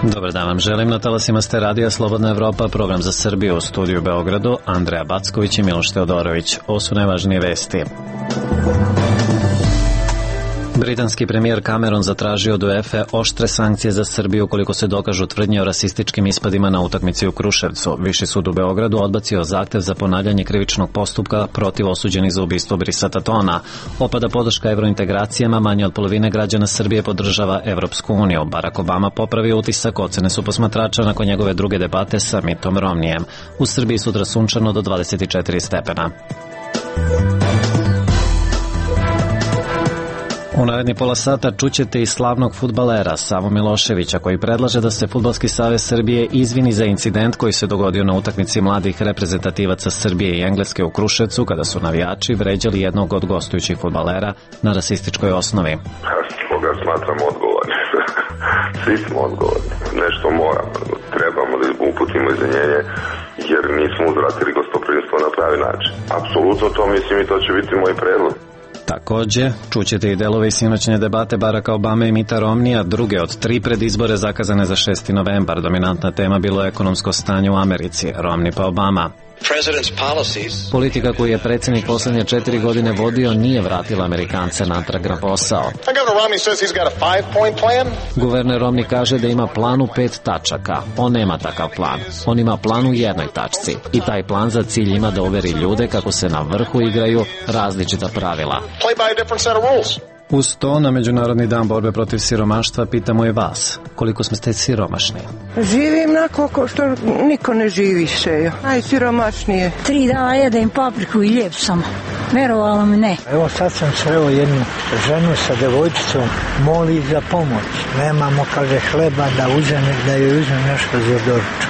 Dobar dan vam želim, na talasima ste Radija Slobodna Evropa, program za Srbiju, u studiju u Beogradu, Andreja Backović i Miloš Teodorović. Ovo su najvažnije vesti. Britanski premijer Cameron zatražio od UEFA oštre sankcije za Srbiju ukoliko se dokažu tvrdnje o rasističkim ispadima na utakmici u Kruševcu. Viši sud u Beogradu odbacio zahtev za ponavljanje krivičnog postupka protiv osuđenih za ubistvo Brisa Tatona. Opada podrška evrointegracijama, manje od polovine građana Srbije podržava Evropsku uniju. Barack Obama popravio utisak, ocene su posmatrača nakon njegove druge debate sa Mittom Romnijem. U Srbiji sutra sunčano do 24 stepena. U naredni pola sata čućete i slavnog fudbalera Savu Miloševića, koji predlaže da se Fudbalski savez Srbije izvini za incident koji se dogodio na utakmici mladih reprezentativaca Srbije i Engleske u Kruševcu, kada su navijači vređali jednog od gostujućih fudbalera na rasističkoj osnovi. Koga smatram odgovorni. Svi smo odgovorni. Nešto moramo. Trebamo da uputimo izvinjenje, jer nismo uzvratili gostoprimstvo na pravi način. Apsolutno to mislim i to će biti moj predlog. Takođe, čućete i delove iz sinoćne debate Baracka Obame i Mitta Romnija, druge od 3 predizbore zakazane za 6. novembar. Dominantna tema bilo je ekonomsko stanje u Americi. Romney pa Obama. Politika koju je predsjednik poslednje 4 godine vodio nije vratila Amerikance natrag na posao. Guverner Romney kaže da ima plan u 5 tačaka. On nema takav plan. On ima plan u jednoj tačci. I taj plan za cilj ima da uveri ljude kako se na vrhu igraju različita pravila. Uz to, na Međunarodni dan borbe protiv siromaštva pitamo i vas, koliko ste siromašni? Živim nakon što niko ne živi še, najsiromašnije. 3 dana jedem papriku i lijep sam, verovala mi ne. Evo sad sam sreo jednu ženu sa devojčicom, moli za pomoć. Nemamo, kaže, hleba da joj uzme nešto za doručak.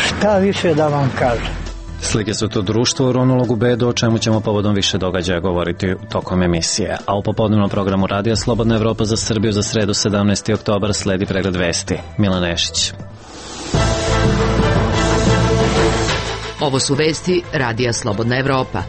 Šta više da vam kažem? Slike su to društvo uronulog u bedu, o čemu ćemo povodom više događaja govoriti tokom emisije. A u popodnevnom programu Radija Slobodna Evropa za Srbiju za sredu 17. oktobar sledi pregled vesti. Milan Nešić. Ovo su vesti Radija Slobodna Evropa.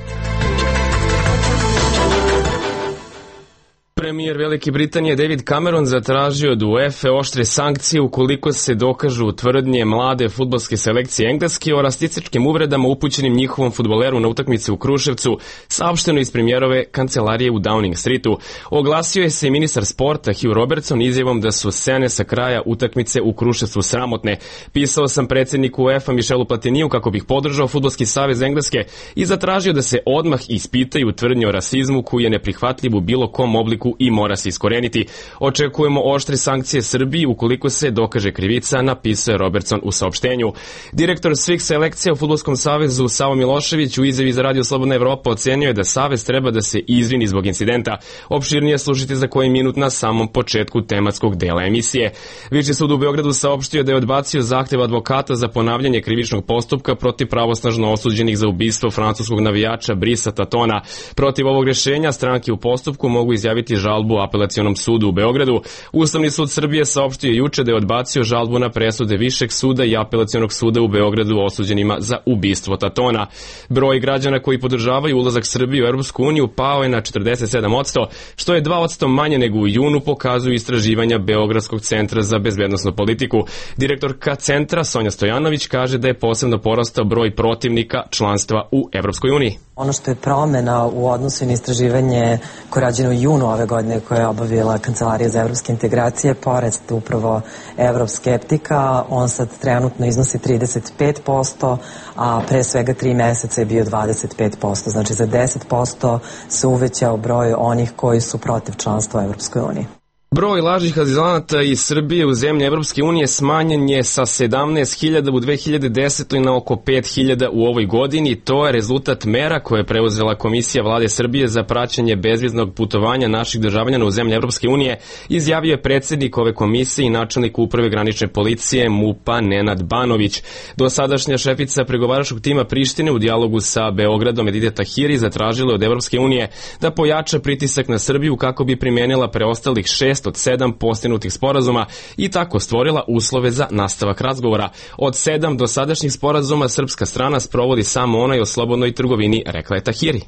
Premijer Velike Britanije David Cameron zatražio od UEFA oštre sankcije ukoliko se dokažu tvrdnje mlade fudbalske selekcije Engleske o rasističkim uvredama upućenim njihovom fudbaleru na utakmici u Kruševcu, saopšteno iz premijerove kancelarije u Downing Streetu. Oglasio je se i ministar sporta Hugh Robertson izjavom da su scene sa kraja utakmice u Kruševcu sramotne. Pisao sam predsjedniku UEFA Michelu Platiniju kako bih podržao Fudbalski savez Engleske i zatražio da se odmah ispitaju tvrdnje o rasizmu koji je neprihvatljiv u bilo kom obliku i mora se iskoreniti. Očekujemo oštre sankcije Srbiji ukoliko se dokaže krivica, napisao je Robertson u saopštenju. Direktor svih selekcija u Fudbalskom savezu Savo Milošević u izjavi za Radio Slobodna Evropa ocenio je da savez treba da se izvini zbog incidenta. Opširnije slušajte za koji minut na samom početku tematskog dela emisije. Viši sud u Beogradu saopštio da je odbacio zahtev advokata za ponavljanje krivičnog postupka protiv pravosnažno osuđenih za ubistvo francuskog navijača Brisa Tatona. Protiv ovog rješenja stranke u postupku mogu izjaviti žalbu Apelacionom sudu u Beogradu. Ustavni sud Srbije saopštio juče da je odbacio žalbu na presude Višeg suda i Apelacionog suda u Beogradu osuđenima za ubistvo Tatona. Broj građana koji podržavaju ulazak Srbije u Europsku uniju pao je na 47%, što je 2% manje nego u junu, pokazuju istraživanja Beogradskog centra za bezbednosnu politiku. Direktorka centra Sonja Stojanović kaže da je posebno porastao broj protivnika članstva u Europskoj uniji. Ono što je promena u odnosu na istraživanje koje je rađeno u junu ove godine koje je obavila Kancelarija za evropske integracije, pored upravo evroskeptika, on sad trenutno iznosi 35%, a pre svega 3 meseca je bio 25%. Znači za 10% se uvećao broj onih koji su protiv članstva u Evropskoj uniji. Broj lažnih azilanata iz Srbije u zemlje Evropske unije smanjen je sa 17.000 u 2010. na oko 5.000 u ovoj godini. To je rezultat mera koje je preuzela Komisija Vlade Srbije za praćenje bezviznog putovanja naših državljana u zemlje Evropske unije, izjavio je predsjednik ove komisije i načelnik uprave granične policije MUP-a Nenad Banović. Dosadašnja šefica pregovaračkog tima Prištine u dijalogu sa Beogradom Edita Tahiri zatražila od Evropske unije da pojača pritisak na Srbiju kako bi primenila preostalih 6 od 7 postignutih sporazuma i tako stvorila uslove za nastavak razgovora. Od 7 dosadašnjih sporazuma srpska strana sprovodi samo onaj o slobodnoj trgovini, rekla je Tahiri.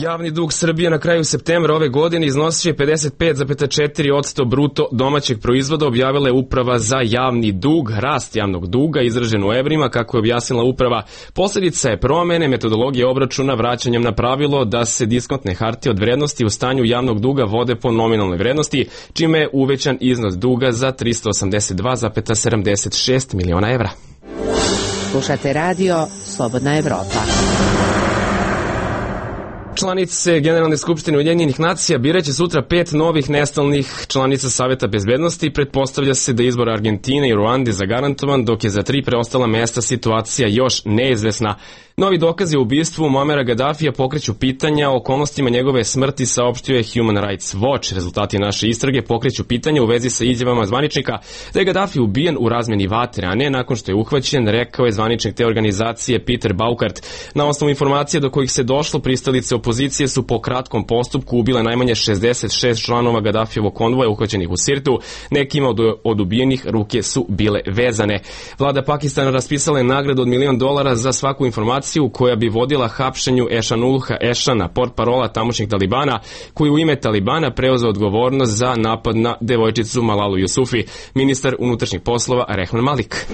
Javni dug Srbije na kraju septembra ove godine iznosio je 55,4% bruto domaćeg proizvoda, objavila je Uprava za javni dug. Rast javnog duga izražen u evrima, kako je objasnila uprava, posljedica je promene metodologije obračuna vraćanjem na pravilo da se diskontne hartije od vrednosti u stanju javnog duga vode po nominalnoj vrednosti, čime je uvećan iznos duga za 382,76 miliona evra. Slušate radio Slobodna Evropa. Članice Generalne skupštine Ujedinjenih nacija biraće sutra 5 novih nestalnih članica Saveta bezbednosti. Pretpostavlja se da izbor Argentine i Ruande zagarantovan, dok je za 3 preostala mesta situacija još neizvesna. Novi dokazi o ubistvu Muamera Gaddafija pokreću pitanja o okolnostima njegove smrti, saopštio je Human Rights Watch. Rezultati naše istrage pokreću pitanja u vezi sa izjavama zvaničnika da je Gaddafi ubijen u razmeni vatre, a ne nakon što je uhvaćen, rekao je zvaničnik te organizacije Peter Baukart. Na osnovu informacije do kojih se došlo, pristalice opozicije su po kratkom postupku ubile najmanje 66 članova Gaddafijevog konvoja uhvaćenih u Sirtu. Nekima od ubijenih ruke su bile vezane. Vlada Pakistana raspisala je nagradu od $1.000.000 za svaku informaciju koja bi vodila hapšenju Ešanulha Ešana, portparola tamošnjih Talibana, koji u ime Talibana preuzeo odgovornost za napad na devojčicu Malalu Yusufi. Ministar unutrašnjih poslova Rehman Malik.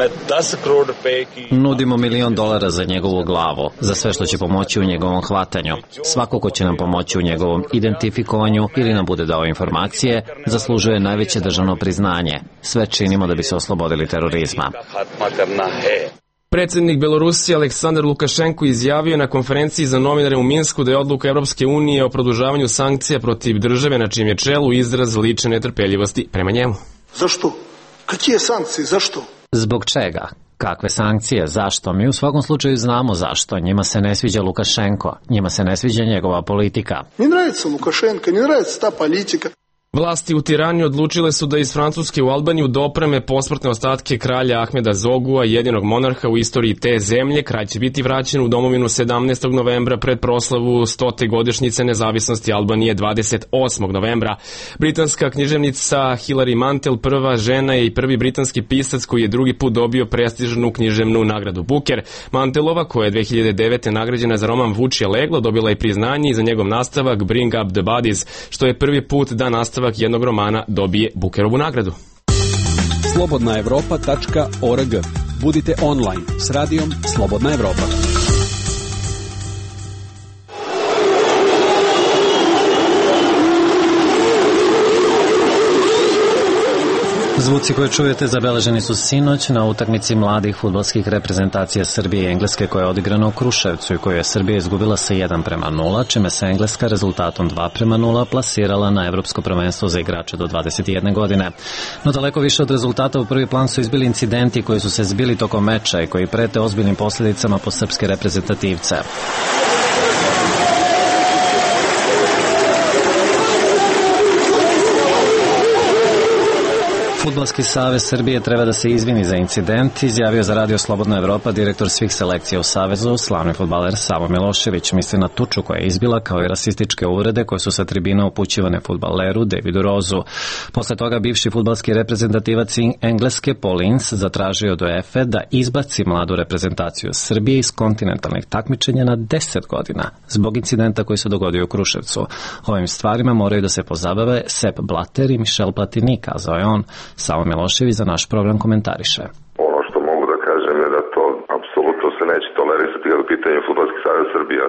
Nudimo $1.000.000 za njegovu glavu, za sve što će pomoći u njegovom hvatanju. Svako ko će nam pomoći u njegovom identifikovanju ili nam bude dao informacije, zaslužuje najveće državno priznanje. Sve činimo da bi se oslobodili terorizma. Predsjednik Belorusije Aleksandar Lukašenko izjavio na konferenciji za novinare u Minsku da je odluka Europske unije o produžavanju sankcija protiv države na čijem je čelu izraz lične netrpeljivosti prema njemu. Zašto? Kakve sankcije? Zašto? Zbog čega? Kakve sankcije? Zašto? Mi u svakom slučaju znamo zašto. Njima se ne sviđa Lukašenko. Njima se ne sviđa njegova politika. Ne nравится Lukašenko, ne nравится ta politika. Vlasti u Tirani odlučile su da iz Francuske u Albaniju dopreme posmrtne ostatke kralja Ahmeda Zogua, jedinog monarha u istoriji te zemlje. Kralj će biti vraćen u domovinu 17. novembra pred proslavu 100. godišnjice nezavisnosti Albanije 28. novembra. Britanska književnica Hilary Mantel, prva žena je i prvi britanski pisac koji je drugi put dobio prestižnu književnu nagradu Booker. Mantelova, koja je 2009. nagrađena za roman Vučje leglo, dobila je priznanje i za njegov nastavak Bring Up the Bodies, što je prvi put da nastavak jednog romana dobije Bookerovu nagradu. slobodnaevropa.org. Budite online s radijom Slobodna Evropa. Zvuci koje čujete zabeleženi su sinoć na utakmici mladih fudbalskih reprezentacija Srbije i Engleske koja je odigrana u Kruševcu i koju je Srbija izgubila sa 1:0, čime se Engleska rezultatom 2:0 plasirala na Evropsko prvenstvo za igrače do 21 godine. No daleko više od rezultata u prvi plan su izbili incidenti koji su se zbili tokom meča i koji prete ozbiljnim posljedicama po srpske reprezentativce. Fudbalski savez Srbije treba da se izvini za incident, izjavio za Radio Slobodna Evropa direktor svih selekcija u savezu, slavni fudbaler Savo Milošević. Misli na tuču koja je izbila, kao i rasističke uvrede koje su sa tribina upućivane fudbaleru Davidu Rozu. Posle toga bivši fudbalski reprezentativac Engleske Paul Ince zatražio od UEFA da izbaci mladu reprezentaciju Srbije iz kontinentalnih takmičenja na 10 godina zbog incidenta koji se dogodio u Kruševcu. Ovim stvarima moraju da se pozabave Sepp Blatter i Michel Platini, kazao je on. Savo Milošević za naš program komentariše. Ono što mogu da kažem je da to apsolutno se neće tolerisati kada je pitanje Fudbalski savez Srbije.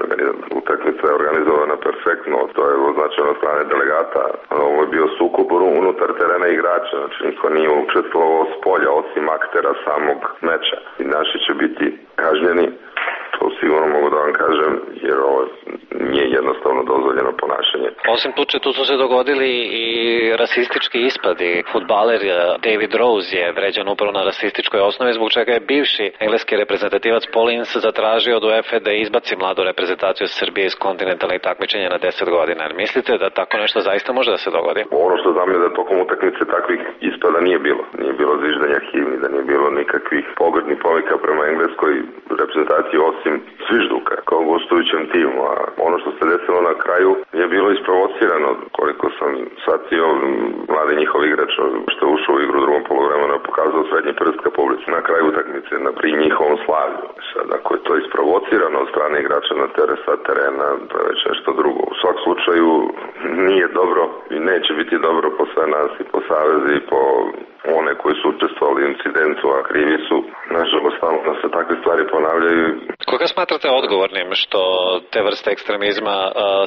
Utakmica je organizovana perfektno, to je označeno od strane delegata. Ovo je bio sukob unutar terena igrača, znači niko nije učestvovao s polja osim aktera samog meča. I naši će biti kažnjeni, to sigurno mogu da vam kažem, jer ovo nije jednostavno dozvoljeno ponašanje. Osim tuče, tu su se dogodili i rasistički ispadi. Fudbaler David Rose je vređan upravo na rasističkoj osnovi, zbog čega je bivši engleski reprezentativac Paul Ince zatražio od UEFA da izbaci mladu reprezentaciju Srbije iz kontinentalnih takmičenja na 10 godina. Mislite da tako nešto zaista može da se dogodi? Ono što znam je da tokom utakmice takvih ispada nije bilo. Nije bilo zviždanja himni, da nije bilo nikakvih pogrdnih povika prema engleskoj reprezentaciji osim osim zvižduka kao gostujućem timu, a ono što se desilo na kraju je bilo isprovocirano, koliko sam shvatio, mladi njihov igrač što je ušao u igru u drugom poluvremenu je pokazao srednji prst ka publici na kraju utakmice, pri njihovom slavlju. Sad, ako je to isprovocirano od strane igrača na sa terena, to je već nešto drugo. U svakom slučaju nije dobro i neće biti dobro po sve nas i po savezi i po one koji su učestvovali u incidentu, a krivi su. Nažalost, stalno se takve stvari ponavljaju. Koga smatrate odgovornim što te vrste ekstremizma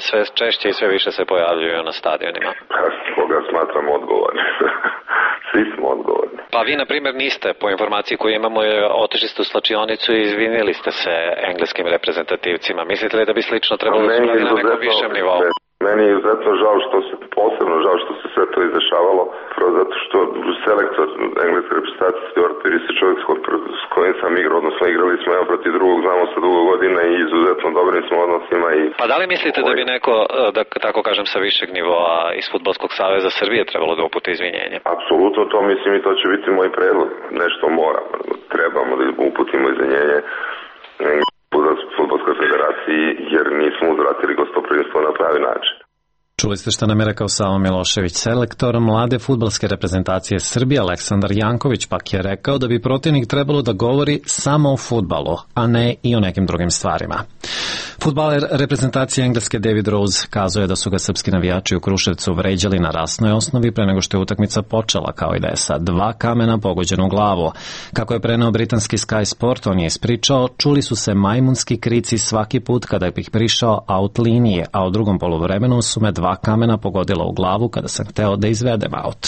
sve češće i sve više se pojavljuju na stadionima? Koga smatram odgovornim? Svi smo odgovorni. Pa vi, na primjer, niste, po informaciji koju imamo, otišli ste u slačionicu i izvinili ste se engleskim reprezentativcima. Mislite li da bi slično trebalo da uradi na nekom višem nivou? Meni je izuzetno žao posebno žao što se sve to izdešavalo, zato što selektor engleske reprezentacije Stuart Pearce je čovjek s kojim sam igrao, odnosno igrali smo jedan protiv drugog, znamo se dugo godina i izuzetno dobrim smo odnosima. Pa da li mislite da bi neko, da tako kažem, sa višeg nivoa iz Fudbalskog saveza Srbije trebalo da uputi izvinjenje? Apsolutno to mislim i to će biti moj predlog. Nešto trebamo da uputimo izvinjenje Fudbalskoj federaciji jer nismo uzvratili gostoprimstvo na pravi način. Čuli ste što nam je rekao Savo Milošević. Selektor mlade fudbalske reprezentacije Srbije Aleksandar Janković pak je rekao da bi protivnik trebalo da govori samo o fudbalu, a ne i o nekim drugim stvarima. Fudbaler reprezentacije Engleske David Rose kazuje da su ga srpski navijači u Kruševcu vređali na rasnoj osnovi pre nego što je utakmica počela, kao i da je sa 2 kamena pogođen u glavu. Kako je preneo britanski Sky Sport, on je ispričao, čuli su se majmunski krici svaki put kada bih prišao out linije, a u drugom poluvremenu su me 2 kamena pogodila u glavu kada sam hteo da izvedem out.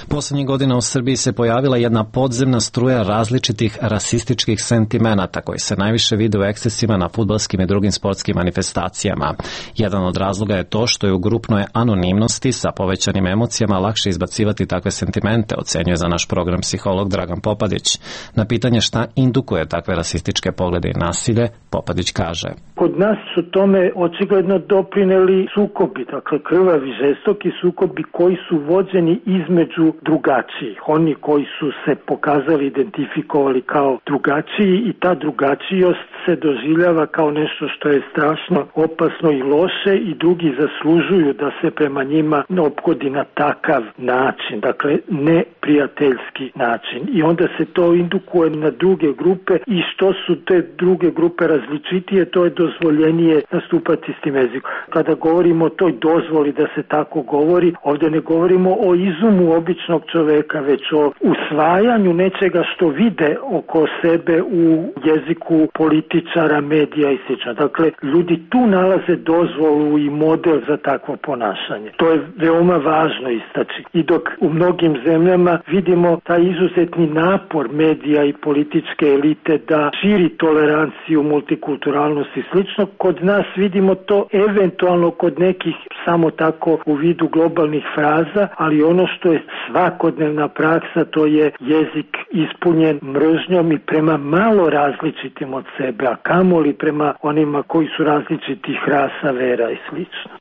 Poslednjih godina u Srbiji se pojavila jedna podzemna struja različitih rasističkih sentimenata koji se najviše vide u ekscesima na fudbalskim i drugim sportskim manifestacijama. Jedan od razloga je to što je u grupnoj anonimnosti sa povećanim emocijama lakše izbacivati takve sentimente, ocenjuje za naš program psiholog Dragan Popadić. Na pitanje šta indukuje takve rasističke poglede i nasilje, Popadić kaže: Kod nas su tome očigledno doprineli sukobi, dakle krvavi, žestoki sukobi koji su vođeni između drugačijih. Oni koji su se pokazali, identifikovali kao drugačiji i ta drugačijost se doživljava kao nešto što je strašno opasno i loše i drugi zaslužuju da se prema njima ophodi na takav način, dakle neprijateljski način. I onda se to indukuje na druge grupe i što su te druge grupe različitije, to je dozvoljenije nastupati s tim jezikom. Kada govorimo o toj dozvoli da se tako govori, ovdje ne govorimo o izumu običnog čoveka, već o usvajanju nečega što vide oko sebe u jeziku političara, medija i sl. Dakle, ljudi tu nalaze dozvolu i model za takvo ponašanje. To je veoma važno istaći. I dok u mnogim zemljama vidimo taj izuzetni napor medija i političke elite da širi toleranciju, multikulturalnost i slično, kod nas vidimo to eventualno kod nekih samo tako u vidu globalnih fraza, ali ono što je svakodnevna praksa, to je jezik ispunjen mržnjom i prema malo različitim od sebe, a kamoli prema onima koji su različitih rasa, vera i slično.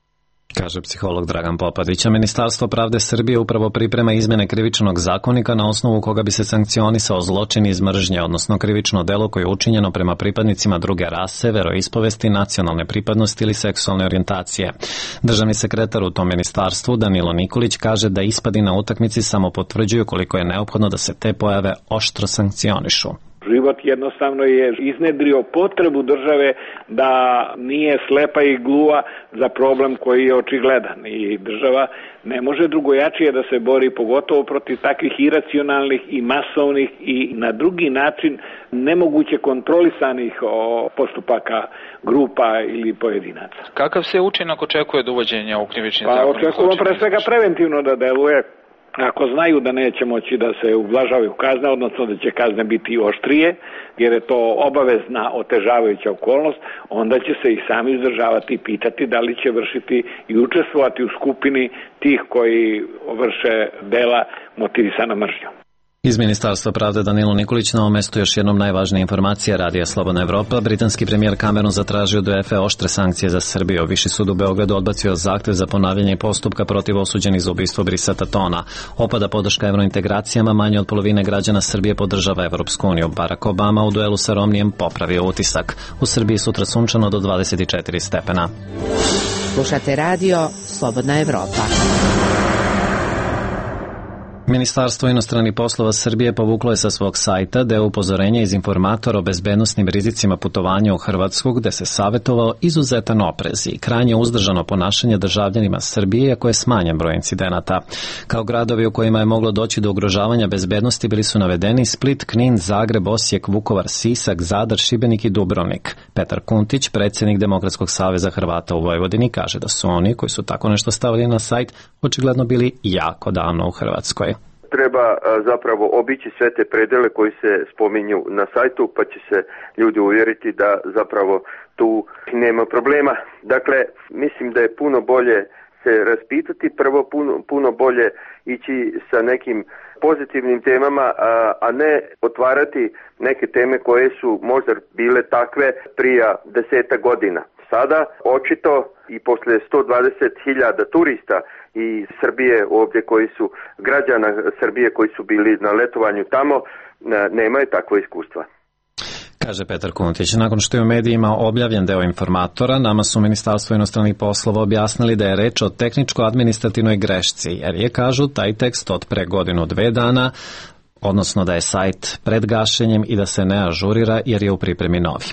Kaže psiholog Dragan Popadić. Ministarstvo pravde Srbije upravo priprema izmjene krivičnog zakonika na osnovu koga bi se sankcionisao zločin iz mržnje, odnosno krivično delo koje je učinjeno prema pripadnicima druge rase, veroispovesti, nacionalne pripadnosti ili seksualne orijentacije. Državni sekretar u tom ministarstvu Danilo Nikolić kaže da ispadi na utakmici samo potvrđuju koliko je neophodno da se te pojave oštro sankcionišu. Život jednostavno je iznedrio potrebu države da nije slepa i gluva za problem koji je očigledan i država ne može drugojačije da se bori, pogotovo protiv takvih iracionalnih i masovnih i na drugi način nemoguće kontrolisanih postupaka grupa ili pojedinaca. Kakav se učinak očekuje od uvođenja u krivični zakonik? Očekujemo pre svega preventivno da deluje. Ako znaju da neće moći da se ublažavaju kazne, odnosno da će kazne biti oštrije, jer je to obavezna otežavajuća okolnost, onda će se i sami izdržavati i pitati da li će vršiti i učestvovati u skupini tih koji vrše dela motivisana mržnjom. Iz Ministarstva pravde Danilo Nikolić na ovom mestu još jednom najvažnija informacija Radija Slobodna Evropa. Britanski premijer Cameron zatražio od UEFA oštre sankcije za Srbiju. Viši sud u Beogradu odbacio zahtev za ponavljanje postupka protiv osuđenih za ubistvo Brisa Tona. Opada podrška evrointegracijama, manje od polovine građana Srbije podržava Evropsku uniju. Barack Obama u duelu sa Romnijem popravio utisak. U Srbiji sutra sunčano do 24 stepena. Slušate radio Slobodna Evropa. Ministarstvo inostranih poslova Srbije povuklo je sa svog sajta deo upozorenja iz informatora o bezbednosnim rizicima putovanja u Hrvatsku, gde se savjetovao izuzetan oprez i krajnje uzdržano ponašanje državljanima Srbije, iako je smanjen broj incidenata. Kao gradovi u kojima je moglo doći do ugrožavanja bezbednosti bili su navedeni Split, Knin, Zagreb, Osijek, Vukovar, Sisak, Zadar, Šibenik i Dubrovnik. Petar Kuntić, predsjednik Demokratskog saveza Hrvata u Vojvodini, kaže da su oni koji su tako nešto stavili na sajt očigledno bili jako davno u Hrvatskoj. Treba zapravo obići sve te predele koji se spominju na sajtu, pa će se ljudi uvjeriti da zapravo tu nema problema. Dakle, mislim da je puno bolje se raspitati, prvo puno bolje ići sa nekim pozitivnim temama, a ne otvarati neke teme koje su možda bile takve prije 10 godina. Sada, očito i posle 120.000 turista i Srbije ovdje koji su građana Srbije koji su bili na letovanju tamo, nemaju takvo iskustva. Kaže Petar Kuntić. Nakon što je u medijima objavljen deo informatora, nama su Ministarstvo inostranih poslova objasnili da je reč o tehničko-administrativnoj grešci, jer je, kažu, taj tekst od pre godinu, 2 dana, odnosno da je sajt pred gašenjem i da se ne ažurira jer je u pripremi novi.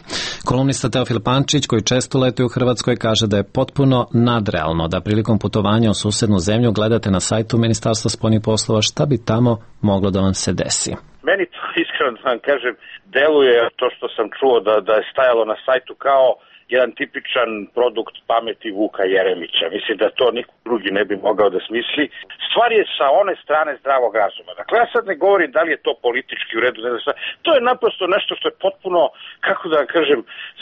Kolumnista Teofil Pančić, koji često letuje u Hrvatskoj, kaže da je potpuno nadrealno da prilikom putovanja u susednu zemlju gledate na sajtu Ministarstva spoljnih poslova šta bi tamo moglo da vam se desi. Meni to iskreno da vam kažem, deluje to što sam čuo da je stajalo na sajtu kao jedan tipičan produkt pameti Vuka Jeremića. Mislim da to niko drugi ne bi mogao da smisli. Stvar je sa one strane zdravog razuma. Dakle, ja sad ne govorim da li je to politički u redu, to je naprosto nešto što je potpuno, kako da kažem,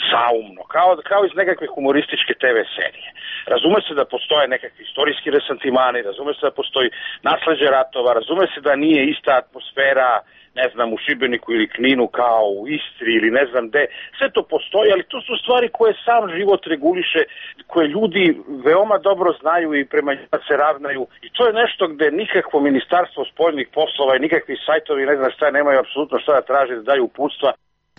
saumno, kao iz nekakve humorističke TV serije. Razume se da postoje nekakvi istorijski resentimani, razume se da postoji nasleđe ratova, razume se da nije ista atmosfera, ne znam, u Šibeniku ili Kninu kao u Istri ili ne znam gde. Sve to postoji, ali to su stvari koje sam život reguliše, koje ljudi veoma dobro znaju i prema njima se ravnaju. I to je nešto gde nikakvo Ministarstvo spoljnih poslova i nikakvi sajtovi, ne znam šta, nemaju apsolutno šta da traže da daju uputstva.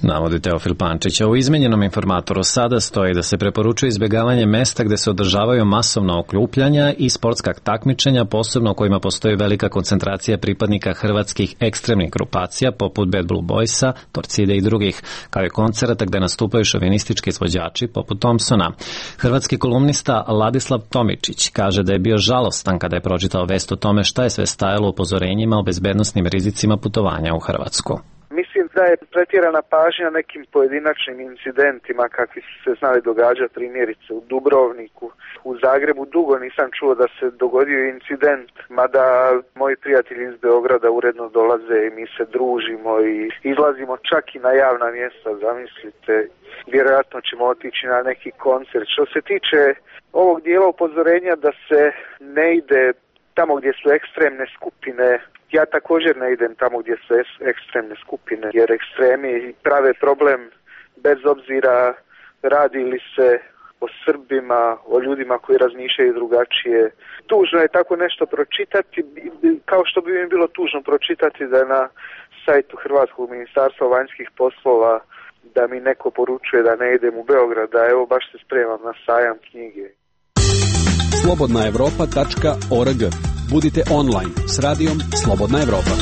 Navodi Teofil Pančića. U izmenjenom informatoru sada stoji da se preporučuje izbjegavanje mesta gde se održavaju masovna okupljanja i sportska takmičenja, posebno u kojima postoji velika koncentracija pripadnika hrvatskih ekstremnih grupacija poput Bad Blue Boysa, Torcide i drugih, kao i koncerata gde nastupaju šovinistički izvođači poput Thompsona. Hrvatski kolumnista Ladislav Tomičić kaže da je bio žalostan kada je pročitao vest o tome šta je sve stajalo u upozorenjima o bezbednosnim rizicima putovanja u Hrvatsku. Mislim da je pretjerana pažnja nekim pojedinačnim incidentima kakvi su se znali događati, primjerice u Dubrovniku. U Zagrebu dugo nisam čuo da se dogodio incident, mada moji prijatelji iz Beograda uredno dolaze i mi se družimo i izlazimo čak i na javna mjesta, zamislite. Vjerojatno ćemo otići na neki koncert. Što se tiče ovog dijela upozorenja da se ne ide tamo gdje su ekstremne skupine, ja također ne idem tamo gdje su ekstremne skupine, jer ekstremi prave problem bez obzira radi li se o Srbima, o ljudima koji razmišljaju drugačije. Tužno je tako nešto pročitati, kao što bi mi bilo tužno pročitati da je na sajtu Hrvatskog ministarstva vanjskih poslova da mi neko poručuje da ne idem u Beograd, da evo baš se spremam na sajam knjige. slobodnaevropa.org. Budite online s radijom Slobodna Evropa.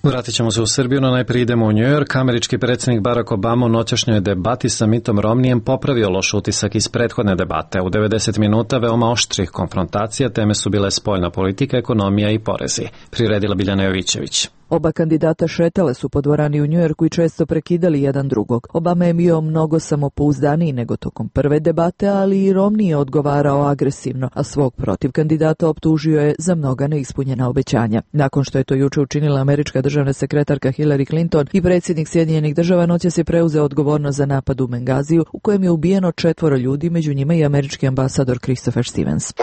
Vratit ćemo se u Srbiju, no najprije idemo u New York. Američki predsjednik Barack Obama u noćašnjoj debati sa Mittom Romnijem popravio loš utisak iz prethodne debate. U 90 minuta veoma oštrih konfrontacija, teme su bile spoljna politika, ekonomija i porezi. Priredila Biljana Jovićević. Oba kandidata šetale su po dvorani u Njujorku i često prekidali jedan drugog. Obama je bio mnogo samopouzdaniji nego tokom prve debate, ali i Romney je odgovarao agresivno, a svog protiv kandidata optužio je za mnoga neispunjena obećanja. Nakon što je to juče učinila američka državna sekretarka Hillary Clinton i predsjednik Sjedinjenih država noćas je preuzeo odgovornost za napad u Bengaziju u kojem je ubijeno 4 ljudi, među njima i američki ambasador Christopher Stevens.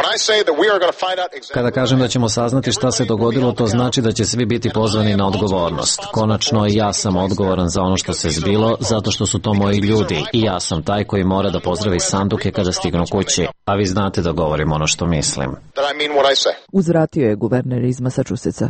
Kada kažem da ćemo saznati šta se dogodilo, to znači da će svi biti pozvani na odgovornost. Konačno, ja sam odgovoran za ono što se zbilo, zato što su to moji ljudi i ja sam taj koji mora da pozdravi sanduke kada stignu kući. A vi znate da govorim ono što mislim. Uzvratio je guverner iz Massachusettsa.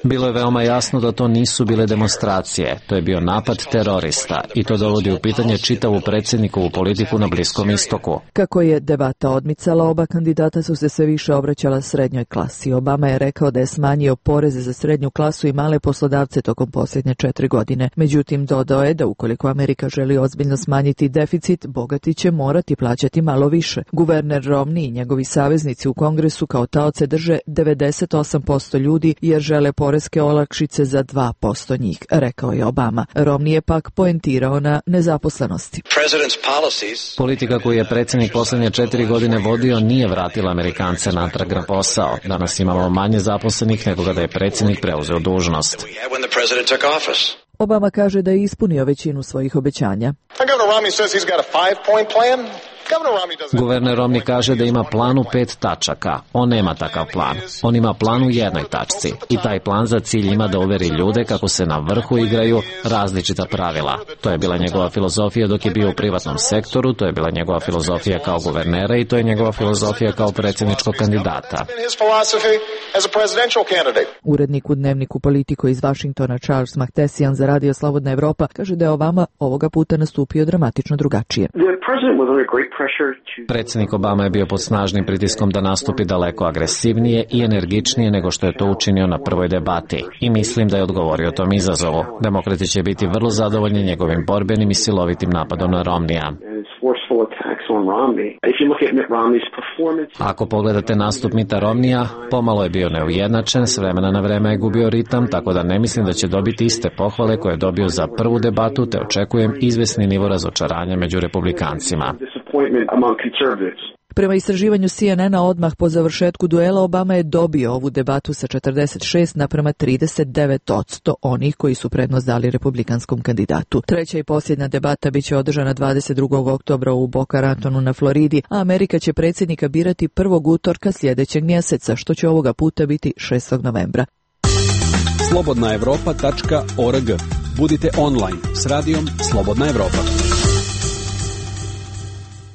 Bilo je veoma jasno da to nisu bile demonstracije. To je bio napad terorista i to dovodi u pitanje čitavu predsjednikovu politiku na Bliskom istoku. Kako je debata odmicala, oba kandidata su se sve više obraćala srednjoj klasi. Obama je rekao da je smanjio poreze za srednju klasu i male poslodavce tokom posljednje 4 godine. Međutim, dodao je da ukoliko Amerika želi ozbiljno smanjiti deficit, bogati će morati plaćati malo više. Guverner Romney i njegovi saveznici u Kongresu kao taoce drže 98% ljudi jer žele poreske olakšice za 2% njih, rekao je Obama. Romney je pak poentirao na nezaposlenosti. Politika koju je predsjednik posljednje 4 godine vodio nije vratila Amerikance natrag na posao. Danas imamo manje zaposlenih nego kada je predsjednik preuzeo dužnost. Obama kaže da je ispunio većinu svojih obećanja. Guverner Romney kaže da ima plan u 5 tačaka. On nema takav plan. On ima plan u 1 tačci. I taj plan za cilj ima da uveri ljude kako se na vrhu igraju različita pravila. To je bila njegova filozofija dok je bio u privatnom sektoru, to je bila njegova filozofija kao guvernera i to je njegova filozofija kao predsjedničkog kandidata. Urednik u dnevniku Politico iz Vašingtona Charles Mahtesian za Radio Slobodna Evropa kaže da je Obama ovoga puta nastupio dramatično drugačije. Predsjednik Obama je bio pod snažnim pritiskom da nastupi daleko agresivnije i energičnije nego što je to učinio na prvoj debati. I mislim da je odgovorio tom izazovu. Demokrati će biti vrlo zadovoljni njegovim borbenim i silovitim napadom na Romneya. Ako pogledate nastup Mitta Romneya, pomalo je bio neujednačen, s vremena na vreme je gubio ritam, tako da ne mislim da će dobiti iste pohvale koje je dobio za prvu debatu, te očekujem izvesni nivo razočaranja među republikancima. Prema istraživanju CNN-a odmah po završetku duela Obama je dobio ovu debatu sa 46:39% onih koji su prednost dali republikanskom kandidatu. Treća i posljednja debata biće održana 22. oktobra u Boca Ratonu na Floridi, a Amerika će predsjednika birati 1. utorka sljedećeg mjeseca, što će ovoga puta biti 6. novembra. slobodnaevropa.org. Budite online s radijom Slobodna Evropa.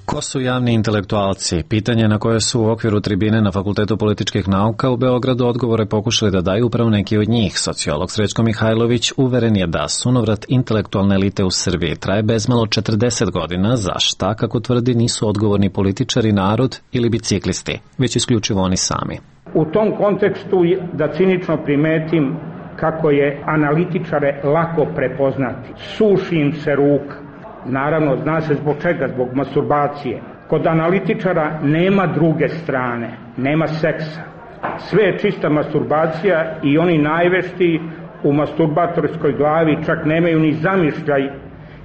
Ko su javni intelektualci? Pitanje na koje su u okviru tribine na Fakultetu političkih nauka u Beogradu odgovore pokušali da daju upravo neki od njih. Sociolog Srećko Mihajlović uveren je da sunovrat intelektualne elite u Srbiji traje bezmalo 40 godina, za šta, kako tvrdi, nisu odgovorni političari, narod ili biciklisti, već isključivo oni sami. U tom kontekstu da cinično primetim kako je analitičare lako prepoznati. Suši im se ruka. Naravno, zna se zbog čega, zbog masturbacije. Kod analitičara nema druge strane, nema seksa. Sve je čista masturbacija i oni najveštiji u masturbatorskoj glavi čak nemaju ni zamišljaj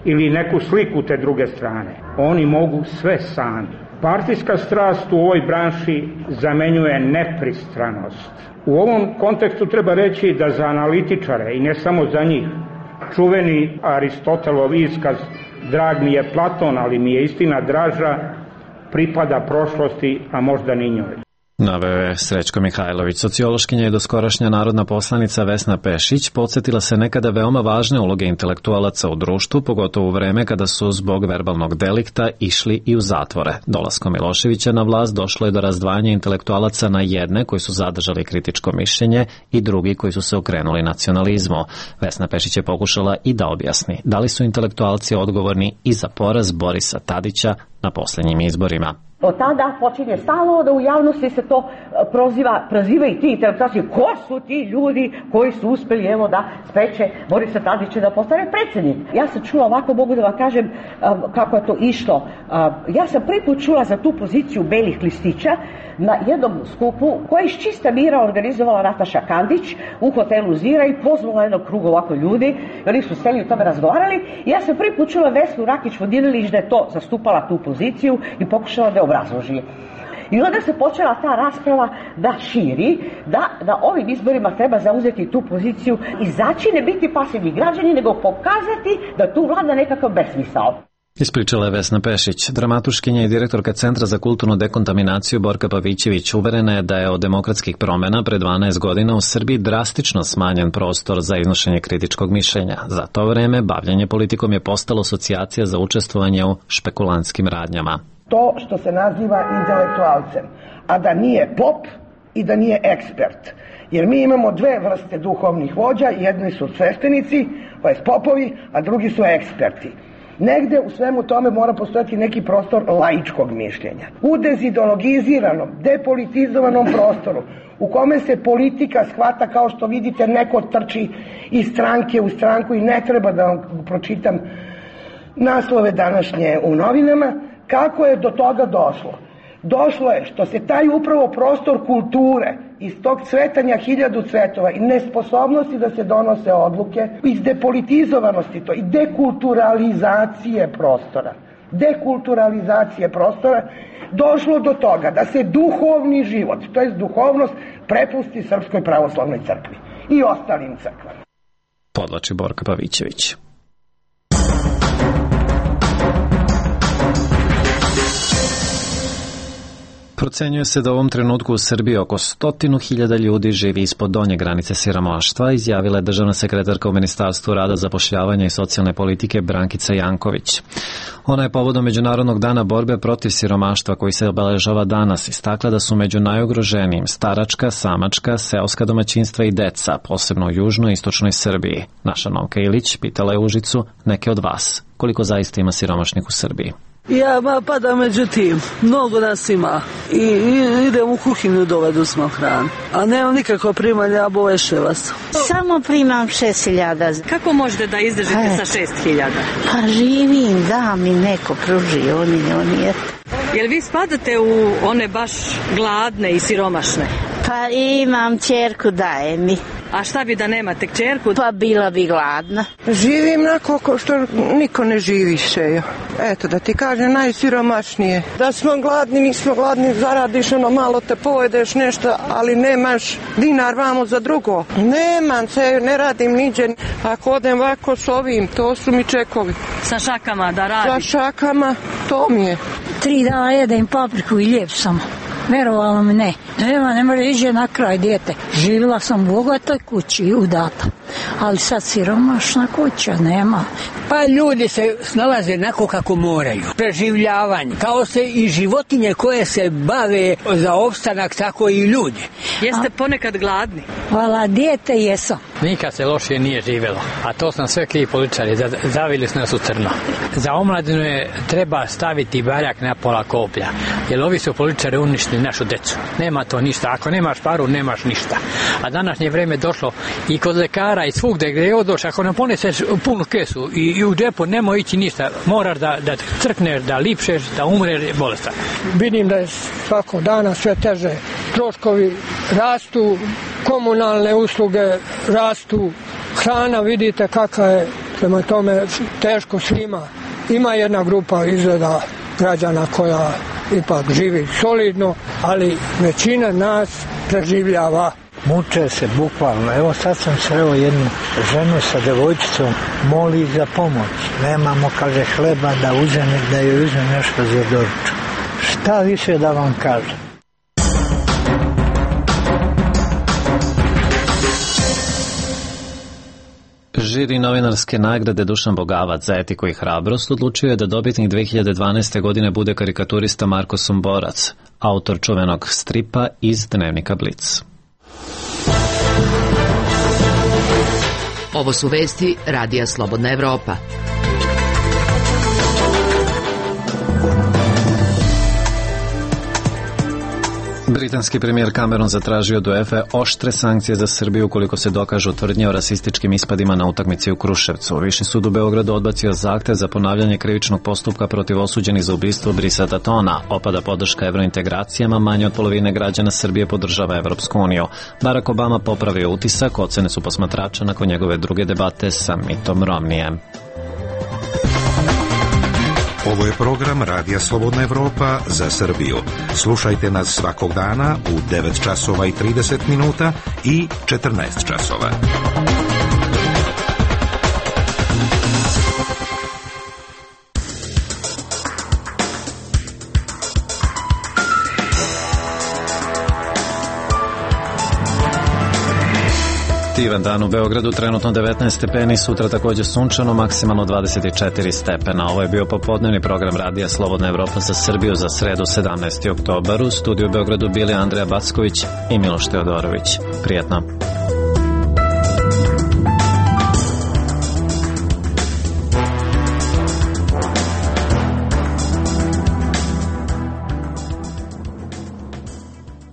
ili neku sliku te druge strane. Oni mogu sve sami. Partijska strast u ovoj branši zamenjuje nepristranost. U ovom kontekstu treba reći da za analitičare, i ne samo za njih, čuveni Aristotelov iskaz "Drag mi je Platon, ali mi je istina draža", pripada prošlosti, a možda ni njoj. Naveo je Srećko Mihajlović. Sociološkinja i doskorašnja narodna poslanica Vesna Pešić podsjetila se nekada veoma važne uloge intelektualaca u društvu, pogotovo u vreme kada su zbog verbalnog delikta išli i u zatvore. Dolaskom Miloševića na vlast došlo je do razdvajanja intelektualaca na jedne koji su zadržali kritičko mišljenje i drugi koji su se okrenuli nacionalizmu. Vesna Pešić je pokušala i da objasni da li su intelektualci odgovorni i za poraz Borisa Tadića na posljednjim izborima. Od tada počinje stalno da u javnosti se to proziva i ti intelektualci. Ko su ti ljudi koji su uspeli da spreče Borisa Tadića da postane predsjednik? Ja sam čula, ovako mogu da vam kažem kako je to išlo. Ja sam prvi put čula za tu poziciju belih listića na jednom skupu koja je iz čista mira organizovala Nataša Kandić u hotelu Zira i pozvala jednog kruga ovako ljudi. Oni su seli o tome razgovarali i ja sam prvi put čula Vesnu Rakić-Vodinelić da je to zastupala tu poziciju i pokušala da je obrazloži. I onda se počela ta rasprava da širi, da ovim izborima treba zauzeti tu poziciju, izaći, ne biti pasivni građani, nego pokazati da tu vlada nekakav besmisao. Ispričala je Vesna Pešić. Dramatuškinja i direktorka Centra za kulturnu dekontaminaciju Borka Pavićević uverena je da je od demokratskih promena pre 12 godina u Srbiji drastično smanjen prostor za iznošenje kritičkog mišljenja. Za to vreme bavljenje politikom je postalo asocijacija za učestvovanje u špekulantskim radnjama. To što se naziva intelektualcem, a da nije pop i da nije ekspert. Jer mi imamo dve vrste duhovnih vođa, jedni su sveštenici, pa je popovi, a drugi su eksperti. Negde u svemu tome mora postojati neki prostor laičkog mišljenja. U dezideologiziranom, depolitizovanom prostoru, u kome se politika shvata kao što vidite neko trči iz stranke u stranku i ne treba da vam pročitam naslove današnje u novinama, kako je do toga došlo? Došlo je što se taj upravo prostor kulture iz tog cvetanja hiljadu cvetova i nesposobnosti da se donose odluke, iz depolitizovanosti to i dekulturalizacije prostora, došlo do toga da se duhovni život, to jest duhovnost, prepusti Srpskoj pravoslavnoj crkvi i ostalim crkvama. Podlači Borka Pavićević. Procenjuje se da u ovom trenutku u Srbiji oko 100.000 ljudi živi ispod donje granice siromaštva, izjavila je državna sekretarka u Ministarstvu rada, zapošljavanja i socijalne politike Brankica Janković. Ona je povodom Međunarodnog dana borbe protiv siromaštva koji se obeležava danas istakla da su među najugroženijim staračka, samačka, seoska domaćinstva i deca, posebno u južnoj i istočnoj Srbiji. Naša Novka Ilić pitala je Užicu neke od vas koliko zaista ima siromašnih u Srbiji. Ja padam među tim, mnogo nas ima i idem u kuhinju dovedu smo hranu, a nemam nikakva primanja, boveše vas. Samo primam 6.000. Kako možete da izdržite sa 6.000? Pa živim, da mi neko pruži, oni je. Jel vi spadate u one baš gladne i siromašne? Pa imam ćerku, daje mi. A šta bi da nemate kćerku? Pa bila bi gladna. Živim nakon što niko ne živi še. Eto da ti kažem najsiromašnije. Da smo gladni, nismo gladni, zaradiš malo te pojedeš nešto, ali nemaš dinar vamo za drugo. Nemam se, ne radim niđe. Ako odem ovako s ovim, to su mi čekovi. Sa šakama da radiš? Sa šakama, to mi je. 3 dana jedem papriku i lijep sam. Verovalo mi ne. Ne može ići na kraj dijete. Živjela sam u bogatoj kući udata. Ali sad siromašna kuća nema. Pa ljudi se snalaze onako kako moraju. Preživljavanje. Kao se i životinje koje se bave za opstanak, tako i ljudi. Jeste ponekad gladni? Hvala, dijete jesam. Nikad se loše nije živjelo. A to sam sve krivi političari. Zavili su nas u crno. Za omladinu treba staviti baljak na pola koplja. Jer ovi su političari uništili našu decu. Nema to ništa. Ako nemaš paru, nemaš ništa. A današnje vreme došlo i kod lekara i svugde gdje je odoš. Ako ne poneseš punu kesu i u džepu nemoj ići ništa. Moraš da crkneš, da lipšeš, da umreš bolestan. Vidim da je svakog dana sve teže. Troškovi rastu, komunalne usluge rastu, hrana vidite kakva je, prema tome teško svima. Ima jedna grupa izgleda građana koja ipak živi solidno, ali većina nas preživljava. Muče se bukvalno. Evo sad sam sreo jednu ženu sa devojčicom, moli za pomoć. Nemamo, kaže, hleba da joj uzme nešto za doručak. Šta više da vam kažem? Žiri novinarske nagrade Dušan Bogavac za etiku i hrabrost odlučio je da dobitnik 2012. godine bude karikaturista Marko Somborac, autor čuvenog stripa iz dnevnika Blic. Ovo su vesti Radija Slobodna Evropa. Britanski premijer Cameron zatražio od UEFA oštre sankcije za Srbiju ukoliko se dokažu tvrdnje o rasističkim ispadima na utakmici u Kruševcu. Viši sud u Beogradu odbacio zahtev za ponavljanje krivičnog postupka protiv osuđenih za ubistvo Brisa Tatona. Opada podrška evrointegracijama, manje od polovine građana Srbije podržava Evropsku uniju. Barack Obama popravio utisak, ocene su posmatrača nakon njegove druge debate sa Mitom Romnijem. Ovo je program Radija Slobodna Evropa za Srbiju. Slušajte nas svakog dana u 9 časova i 30 minuta i 14 časova. Divan dan u Beogradu, trenutno 19 stepeni, sutra također sunčano, maksimalno 24 stepena. Ovo je bio popodnevni program Radija Slobodna Evropa za Srbiju za sredu 17. oktobar. U studiju u Beogradu bili Andreja Backović i Miloš Teodorović. Prijetno.